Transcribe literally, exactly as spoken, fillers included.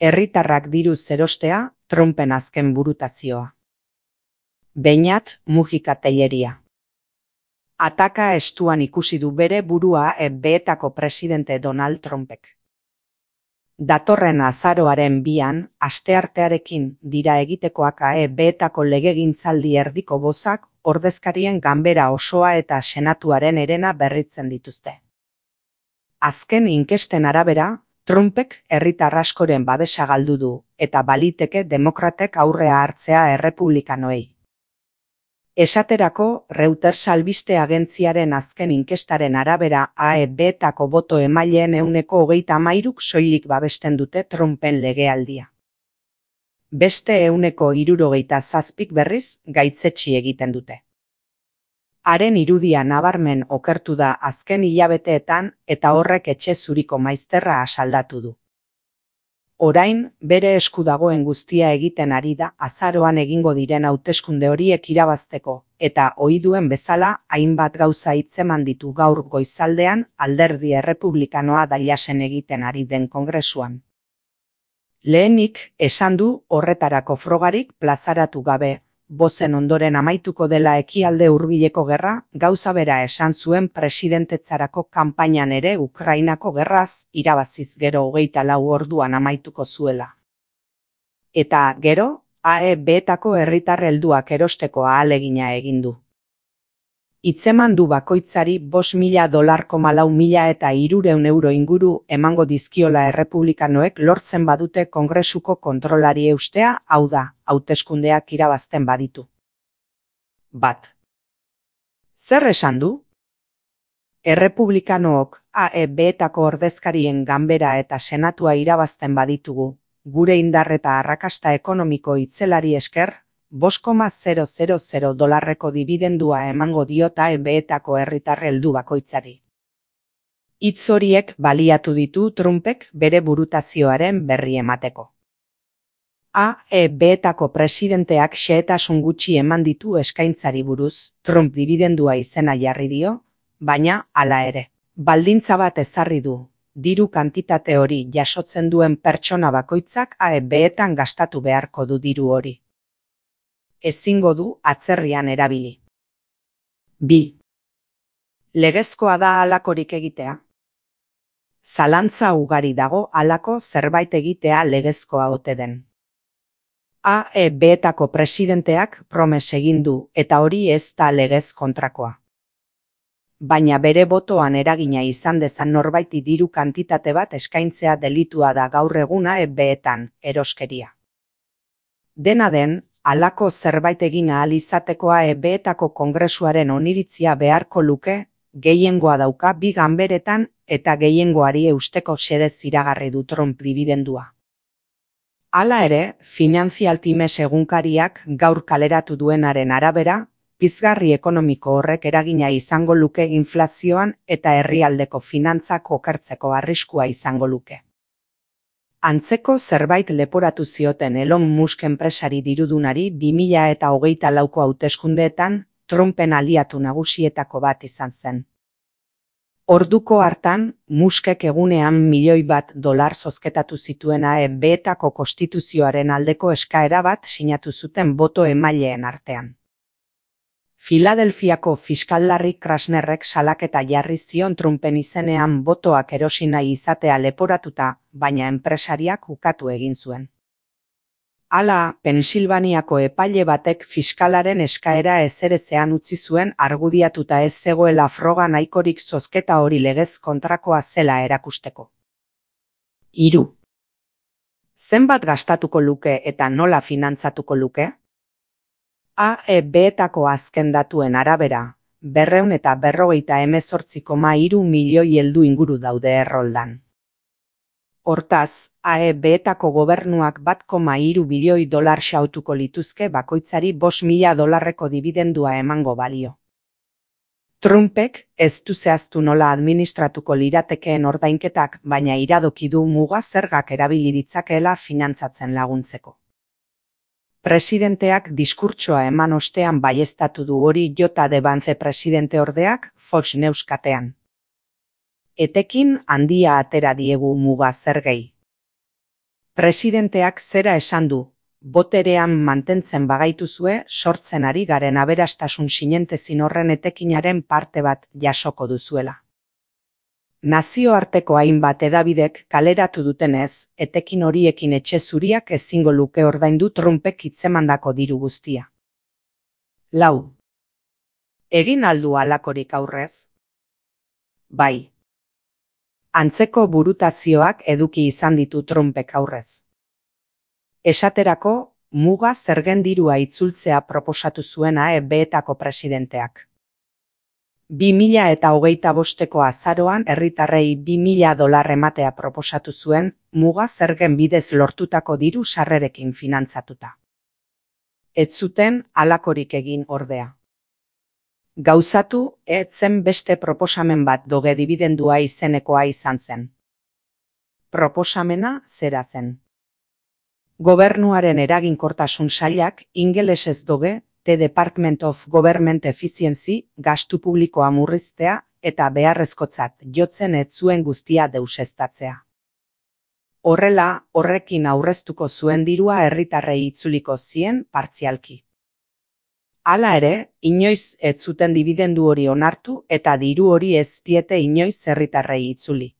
Herritarrak diruz erostea, Trumpen azken burutazioa. Beñat Mujika Telleria. Ataka estuan ikusi du bere burua F B Etako presidente Donald Trumpek. Datorren azaroaren bian, asteartearekin dira egitekoak F B Etako legegintzaldi erdiko bozak, ordezkarien ganbera osoa eta senatuaren herena berritzen dituzte. Azken inkesten arabera, Trumpek herritar askoren babesa galdu du, eta baliteke demokratek aurrea hartzea errepublikanoei. Esaterako, Reuters albiste agentziaren azken inkestaren arabera A F B Etako boto emaileen ehuneko hogeita hamairuk soilik babesten dute Trumpen legealdia. Beste ehuneko hirurogeita zazpik berriz gaitzetsi egiten dute. Haren irudia nabarmen okertu da azken hilabeteetan eta horrek etxe zuriko maizterra asaldatu du. Orain, bere esku dagoen guztia egiten ari da azaroan egingo diren hauteskunde horiek irabazteko, eta ohi duen bezala hainbat gauza hitzeman ditu gaur goizaldean alderdi errepublikanoa dailasen egiten ari den kongresuan. Lehenik, esan du horretarako frogarik plazaratu gabe, bozen ondoren amaituko dela ekialde hurbileko gerra, gauza bera esan zuen presidentetzarako kanpainan ere Ukrainako gerraz irabaziz gero hogeita lau orduan amaituko zuela. Eta gero, A F B Etako herritar helduak erosteko ahalegina egin du. Hitzeman du bakoitzari bost mila dolar koma lau mila eta hirurehun euro inguru emango dizkiola errepublikanoek lortzen badute kongresuko kontrolari eustea, hau da, hauteskundeak irabazten baditu. Bat. Zer esan du? Errepublikanook A F B Etako ordezkarien ganbera eta senatua irabazten baditugu, gure indar eta arrakasta ekonomiko itzelari esker, bost koma zero zero zero dolarreko dibidendua emango diot A F B Etako herritar heldu bakoitzari. Hitz horiek baliatu ditu Trumpek bere burutazioaren berri emateko. A F B Etako presidenteak xehetasun gutxi eman ditu eskaintzari buruz, Trump dibidendua izena jarri dio, baina, hala ere, baldintza bat ezarri du, diru kantitate hori jasotzen duen pertsona bakoitzak A F B Etan gastatu beharko du diru hori. Ezingo du atzerrian erabili. Bi. Legezkoa da halakorik egitea. Zalantza ugari dago halako zerbait egitea legezkoa ote den. A F B Etako presidenteak promes egin du eta hori ez da legez kontrakoa. Baina bere botoan eragina izan dezan norbaiti diru kantitate bat eskaintzea delitua da gaur egun A F B Etan, eroskeria. Dena den, halako zerbait egin ahal izateko A F B Etako kongresuaren oniritzia beharko luke, gehiengoa dauka bi ganberetan eta gehiengoari eusteko xedez iragarri du Trump dibidendua. Hala ere, Financial Times egunkariak gaur kaleratu duenaren arabera, pizgarri ekonomiko horrek eragina izango luke inflazioan eta herrialdeko finantzak okertzeko arriskua izango luke. Antzeko zerbait leporatu zioten Elon Musk enpresari dirudunari bi mila eta hogeita lauko hauteskundeetan Trumpen aliatu nagusietako bat izan zen. Orduko hartan, Muskek egunean milioi bat dolar zozketatu zituen A F B Etako konstituzioaren aldeko eskaera bat sinatu zuten boto emaileen artean. Filadelfiako fiskal Larry Krasnerrek salaketa jarri zion Trumpen izenean botoak erosi nahi izatea leporatuta, baina enpresariak ukatu egin zuen. Hala, Pensilvaniako epaile batek fiskalaren eskaera ezerezean utzi zuen argudiatuta ez zegoela froga nahikorik zozketa hori legez kontrakoa zela erakusteko. Hiru. Zenbat gastatuko luke eta nola finantzatuko luke? A F B Etako azken datuen arabera, berrehun eta berrogeita hemezortzi koma hiru milioi heldu inguru daude erroldan. Hortaz, A F B Etako gobernuak bat koma hiru bilioi dolar xautuko lituzke bakoitzari bost mila dolarreko dibidendua emango balio. Trumpek ez du zehaztu nola administratuko liratekeen ordainketak, baina iradoki du muga zergak erabili ditzakeela finantzatzen laguntzeko. Presidenteak diskurtsoa eman ostean baieztatu du hori J D Vance presidente ordeak Fox News katean. Etekin handia atera diegu muga zergei. Presidenteak zera esan du, boterean mantentzen bagaituzue sortzen ari garen aberastasun sinentezin horren etekinaren parte bat jasoko duzuela. Nazioarteko hainbat hedabidek kaleratu dutenez, etekin horiekin etxe zuriak ezingo luke ordaindu Trumpek hitzemandako diru guztia. Lau. Egin aldu halakorik aurrez? Bai. Antzeko burutazioak eduki izan ditu Trumpek aurrez. Esaterako, muga zergen dirua itzultzea proposatu zuen A E B-etako presidenteak. bi mila eta hogeita bosteko azaroan herritarrei bi mila dolar ematea proposatu zuen, muga zergen bidez lortutako diru sarrerekin finantzatuta. Ez zuten halakorik egin ordea. Gauzatu, ez zen beste proposamen bat doge dibidendua izenekoa izan zen. Proposamena zera zen. Gobernuaren eraginkortasun sailak ingelesez doge, The Department of Government Efficiency, gastu publikoa murriztea eta beharrezkotzat jotzen ez zuen guztia deuseztatzea. Horrela, horrekin aurreztuko zuen dirua herritarrei itzuliko zien partzialki. Hala ere, inoiz ez zuten dibidendu hori onartu eta diru hori ez diete inoiz herritarrei itzuli.